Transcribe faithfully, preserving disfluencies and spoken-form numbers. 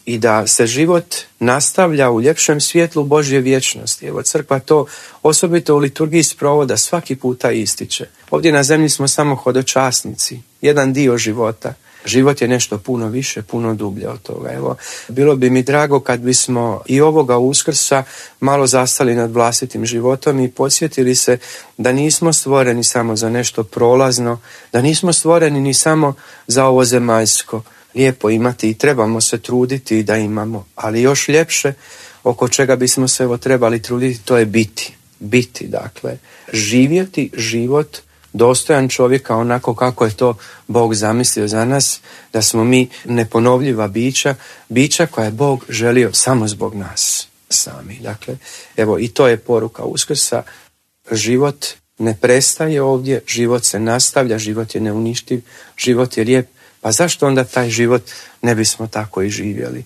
i da se život nastavlja u ljepšem svjetlu Božje vječnosti. Evo, crkva to osobito u liturgiji sprovoda svaki puta ističe. Ovdje na zemlji smo samo hodočasnici, jedan dio života. Život je nešto puno više, puno dublje od toga. Evo, bilo bi mi drago kad bismo i ovoga Uskrsa malo zastali nad vlastitim životom i podsjetili se da nismo stvoreni samo za nešto prolazno, da nismo stvoreni ni samo za ovo zemaljsko. Lijepo imati i trebamo se truditi da imamo, ali još ljepše oko čega bismo se evo trebali truditi, to je biti. Biti, dakle, živjeti život dostojan čovjeka onako kako je to Bog zamislio za nas, da smo mi neponovljiva bića, bića koja je Bog želio samo zbog nas sami. Dakle, evo i to je poruka Uskrsa. Život ne prestaje ovdje, život se nastavlja, život je neuništiv, život je lijep. Pa zašto onda taj život ne bismo tako i živjeli?